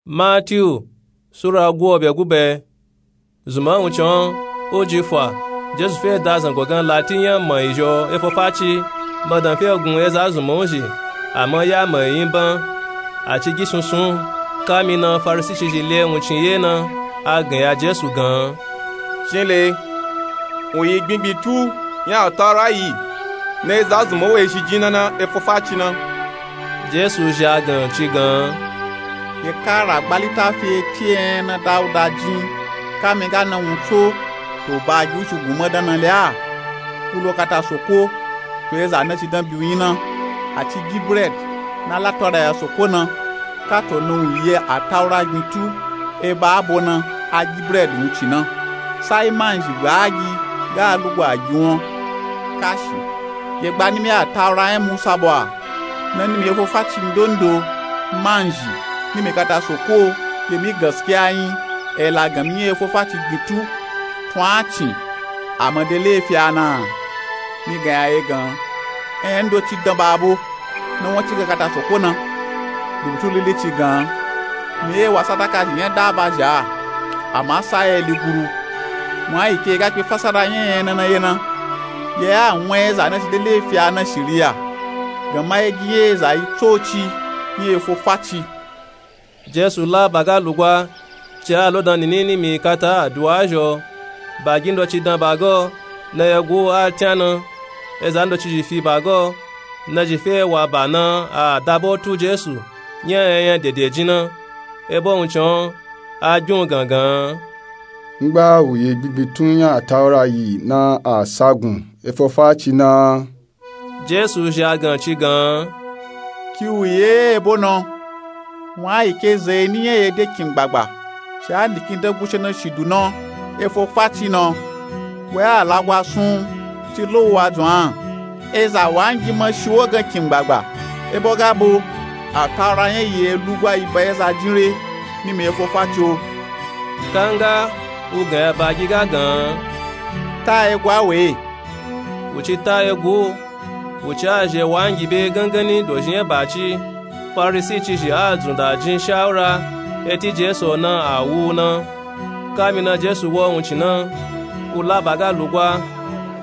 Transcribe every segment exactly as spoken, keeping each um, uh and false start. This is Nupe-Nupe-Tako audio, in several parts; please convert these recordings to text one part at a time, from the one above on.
Matiyu sura guobe gube. Zunman wuncin o, o ji fa, Jesu fe da zango gan lati nya mayi zhi o, e fo faci. Madan fe gun eza zunman u zhi, ama ya mayi nyi ban, a ci gi sunsun. Kamina Farisicizhi le wuncin ye na, a gan ya Jesu gan, Cinle, u yi gbingbitu nya Ataura yi, na eza zunman u ezhi jin na na e fo faci na. Jesu zhi a gan ci gan, Ye ka ragba litafi eti enya na Dauda jin, kami ga na wun tso, to ba gi u ci gun madan na le a, u lo kata soko, to eza na ci dan bi u nyi na, a ci gi bredi na la tawada ya soko na, kato na u yi Ataura gbin tu, e ba abo na a gi bredi wuncin na. Sai manzhi gba a gi ga a lugba a gi won. Kashi, ye gba nimi Ataura nya Musa bwa, na nimi e fo faci ndondo, manzhi, nimi kata soko, ke mi gaskiya nyi, e la gan mi nya e fo faci gbin tu, tun a cin, a ma de lefi a na? Mi gan ya ye gan, enya ndoci dan ba abo, na won ci ga kata soko na. Rubutu lili ci gan, mi ye wa sadaka zhi nya daba zhi a, ama sa ye li guru. Wun a yi ke ga kpe fasada nya enya na na ye na, ye a wun eza na ci de lefi a na shiriya, gan ma ye gi ye eza yi tsoci nya e fo faci. Jesu la ba ga lugba, ci a lo dan nini nimi kata aduwa zhi o. Ba gi ndoci dan ba ga o, na ye gu a tyan na, eza ndocizhi fi ba ga o, na zhi fe wa ba na a daba u tu Jesu nya enya dede jin na. E bo wuncin o, a gbin u gangan. Ngba u yi gbingbitu nya Ataura yi na a sa gun e fo faci na? Jesu zhi a gan ci gan, Ki u ye e bo na, wun a yi ke zeni nya ye de kin gbagba, ci a nikin dan gushana shidu na e fo faci na. Wa a lagwa sun, ci lo u wa dzun a, eza wangi ma shi wo gan kin gbagba. E bo ga bo, Ataura nya yi e lugba yi ba eza jin re, nimi e fo faci o. Kanga u gan ya ba gi ga gan, Ta e gwa we. U ci ta ye gu, u ci a zhi wangi be gangani dozhi nya ba ci. Farisicizhi a dzun da jin shawura eti Jesu na a wu na. Kamina Jesu wo wuncin na, u la ba ga lugba,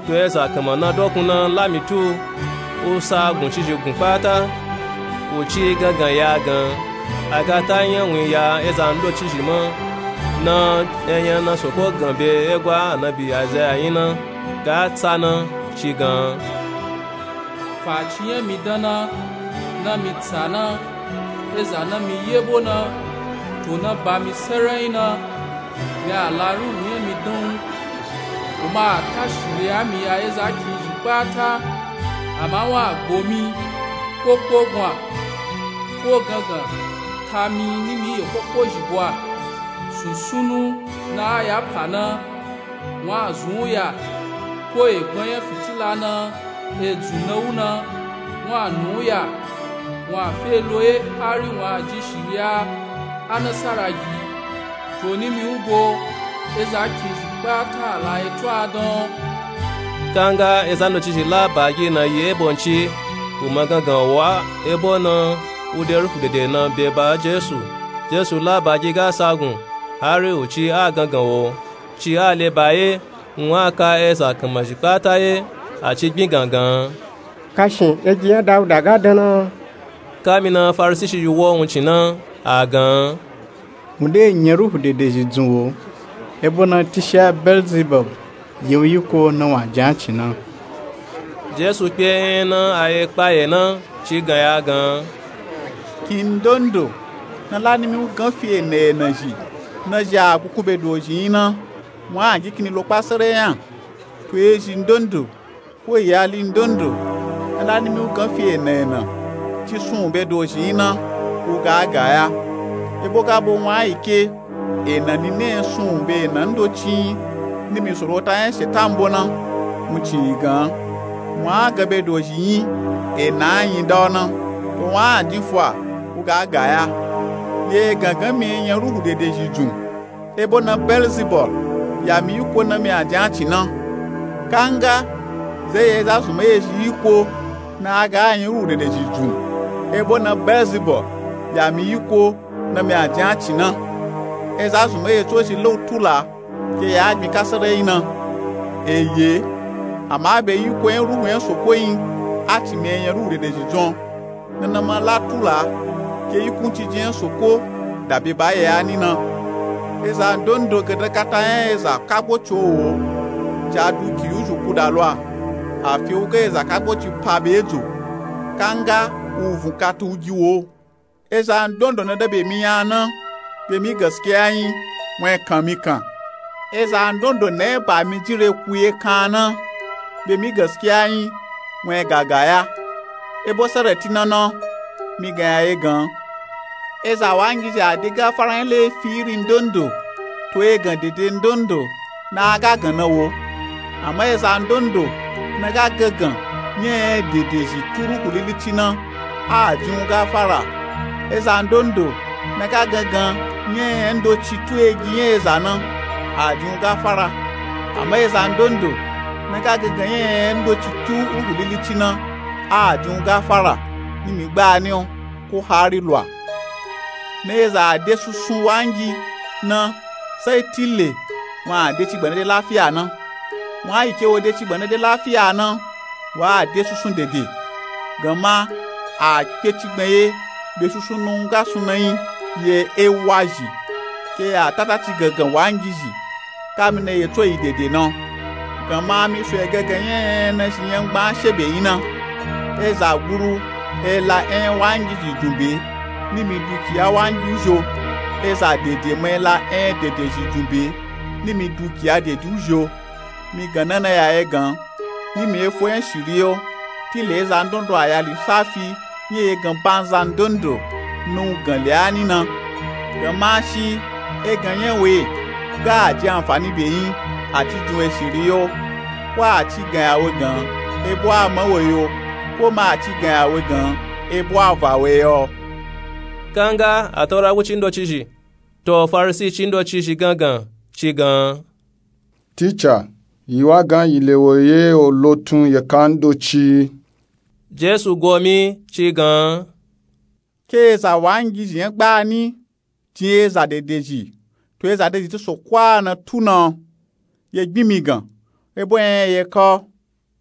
to eza kanma na dokun na la mi tu, u sa guncizhi gun kpata, u ci gangan ya gan, a ga ta nya wun ya eza ndocizhi ma, na enya na soko gan be egwa anabi Aizaya nyi na ga tsa na, ci gan, Faci nya mi dan na, na mi tsa na, eza na mi ye bo na, to na ba mi sarai na, mi a la ruhu nya mi dan u, u ma a ta shiriya mi ya eza kin zhi kpata, ama wun a gbo mi, ko kpogun a, ko gangan ta mi nimi ye koko zhi bwa, sunsunu na a ya pa na, wun a zun u ya, ko egbon nya fitila na, e dzun na u na, wun a nu u ya, wun a fe lo ye hari wun a ji shiriya anasara gi. To nimi u bo, eza kin zhi kpata a la eto a dan. Kanga eza ndocizhi la ba gi na yi e bo nci, u ma gangan wo a, e bo na u de ruhu dede na be ba Jesu. Jesu la ba gi ga sa gun, hari u ci a gangan wo, ci a le ba ye, wun a ka eza kanma zhi kpata ye, a ci gbin gangan, Kashin, egi nya Dauda ga dan na? Kamina Farisicizhi wo wuncin na, a gan, Wun de nya ruhu dede zhi dzun wo, e bo na tishiya Belzibul yi wun yiko na wun a jin a cin na. Jesu kpe enya na a ye kpa ye na, ci gan ya gan, Kin ndondo na la nimi u gan fi ena ena zhi, na zhi a kuku be dozhi nyi na, wun a gi kini lo kpa sarai nya. To ezhi ndondo ko iyali ndondo na la nimi u gan fi ena ena, ci sun u be dozhi nyi na, u ga a ga ya. E bo ga bo wun a yi ke, ena nini e sun u be ena ndoci nyi, nimi sorota nya Shetan bo na, wuncin yi gan, wun a gan be dozhi nyi, ena a nyi da u na, to wun a jin fa, u ga a ga ya. Ye gangan mi nya ruhu dede zhi dzun, e bo na Belzibul ya mi yiko na mi a jin a cin na. Kanga, zeye eza zunman ezhi yiko na a ga a nya ruhu dede zhi dzun, e bo na Belzibul ya mi yiko na mi a jin a ci na. Eza zunmai etso zhi la u tu la ke ya gbin kasarayi na. Eye, ama be yiko nya ruhu nya soko yin a ci mi nya ruhu dedezhi dzun. Nana ma la tu la ke yikunciji nya soko da be ba ye a ni na. Eza ndondo gada kata nya eza kagbo ci wo wo, ci a duki yu zhu kuda lo a. Afi u ga eza kagbo ci pa be dzo, kanga u vun kata u gi wo. Eza ndondo na da be mi nya na, be mi gaskiya yin, wun nya kan mi kan. Eza ndondo na nya ba mi jire ku ye kan na, be mi gaskiya yin, wun nya gaga ya. Ebo sarati na na, mi gan ya ye gan. Eza wangizhi a de gafara nya laifi iri ndondo, to ye gan dede ndondo na a ga gan na wo. Ama eza ndondo na ga gangan nya nya dedezhi tu ruhu lilici na, a jin u gafara. Eza ndondo na ga gangan nya nya ndoci tu egi nya eza na, a jin u gafara. Ama eza ndondo na ga gangan nya nya ndoci tu ruhu lilici na, a jin u gafara, ni mi gba ni o, ko hari lwa. Na eza a de susun wangi na, sai tile wun a de cigban na de lafiya na. Wun a yi ke wo de cigban na de lafiya na, wa a de susun dede. Ganma a kpe cigban ye be susun na u ga sun na yin ye ewa zhi, ke ya tata ci gangan wangizhi. Kami na ye tso yi dede na. Ganma mi so ye gangan nya nya na zhi nya ngban she be yin na. Eza guru e la nya nya wangizhi dun be, ni mi dukiya wangi u zhi o. Eza dede ma e la nya nya dedezhi dun be, ni mi dukiya dedi u zhi o. Mi gan na na ya ye gan, ni mi ye fo nya shiri o. Tile eza ndondo a ya lisafi nya ye gan banza ndondo na u gan le a ni na. Ganma shi e gan nya we ga a ji anfani be yin, a ci dun we shiri o, ko a ci gan ya we gan ebo a ma we yo, ko ma a ci gan ya we gan ebo a va we yo. Kanga ataura guci ndocizhi, to Farisi ci ndocizhi gangan, ci gan. Tica, yi wa gan yi le wo ye olotun yeka ndoci. Jesu gomi ci gan. Ke eza wangizhi nya gbani jin eza dedezhi, to eza dedezhi ti soko a na tu na, ye gbin mi gan, ebo nya yeka o.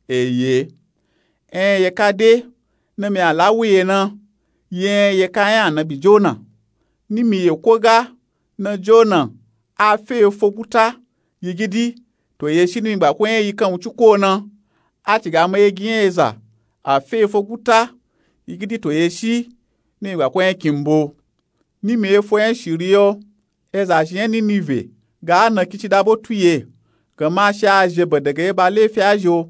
Eye, enya yeka de na mi a la wu ye na, ye enya yeka nya anabi Jona. Ni mi ye ko ga na Jona a fe ye fo guta yigidi, to ye shi ni mi gba ko nya yi kan wuci ko na. A ci ga ma ye gi nya eza a fe ye fo guta yigidi, to ye shi ni mi gba ko nya kimbo. Ni mi ye fo nya shiri o. Eza zhi nya Ninive ga a na kici da botu ye, ganma shi a zhe bedegan ye ba laifi a zhi o.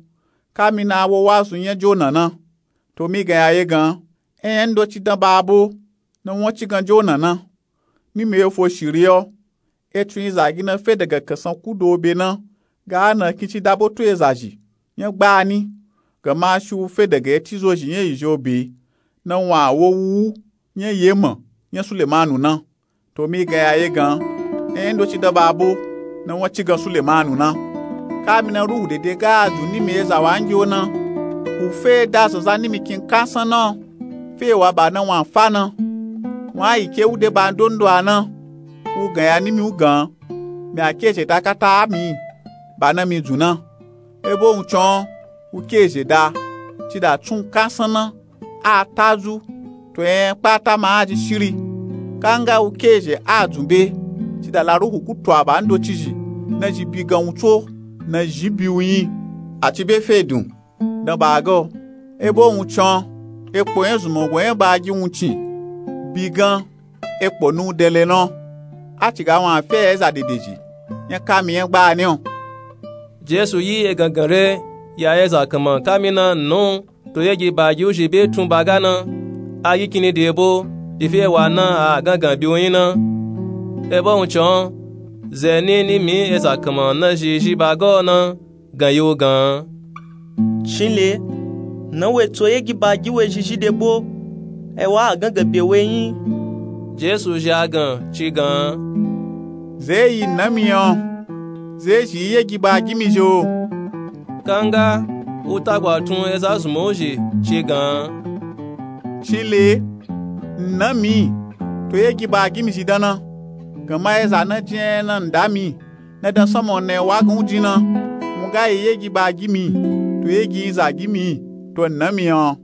Kami na a wo wazu nya Jona na. To mi gan ya ye gan, enya ndoci dan ba bo na won ci gan Jona na. Ni mi ye fo shiri o. Etun yi zagi na fe daga kansan kudo be na ga a na kici da botu eza zhi nya gbani, ganma shi u fe daga eti zozhi nya yi zhi o be na won a wo wuwu nya yema nya Sulemanu na. To mi gan ya ye gan, enya ndoci dan ba bo na won ci gan Sulemanu na. Kami na ruhu dede ga a dun ni mi eza wangi o na, u fe da zanzan ni mi kin kansan na, fe wa ba na won a fa na. Won a yi ke u de ba ndondo a na, u gan ya ni mi u gan, mi a ke zhe da kata a mi ba na mi dun na. Ebo wuncin o, u ke zhe da ci da tsun kansan na a ta zu, to enya kpata ma a ji shiri. Kanga u ke zhe a dun be ci da la ruhu kutu a ba ndocizhi na zhi bi gan wun tso na zhi bi u yin, a ci be fe dun dan ba ga o. Ebo wuncin o, ekpo nya zunmango nya ba gi wuncin bi gan ekpo na u dele na. A ci ga won a fe ya eza dedezhi nya kami nya gbani o. Jesu yi egangan re ya eza kanman kami na nnu, to ye gi ba gi u zhi be tun ba ga na, a yi kini de ebo, ife wa na a gangan bi u yin na. Ebo wuncin o, ze ni ni mi eza kanman na zhi zhi ba ga o na gan yi u gan. Cin le, na we tso ye gi ba gi we zhi zhi de bo, e wa a gangan be we yin. Jesu zhi a gan ci gan. Ze yi na mi o, ze zhi yi ye gi ba gi mi zhi o. Kanga u tagwa tun eza zunman u zhi ci gan. Cin le, na mi to ye gi ba gi mi zhi dan na. Ganma eza na jin enya na nda mi na dan sanma ona ewa gan u jin na, wun ga yi ye gi ba gi mi, to ye gi nza gi mi, to nna mi yan.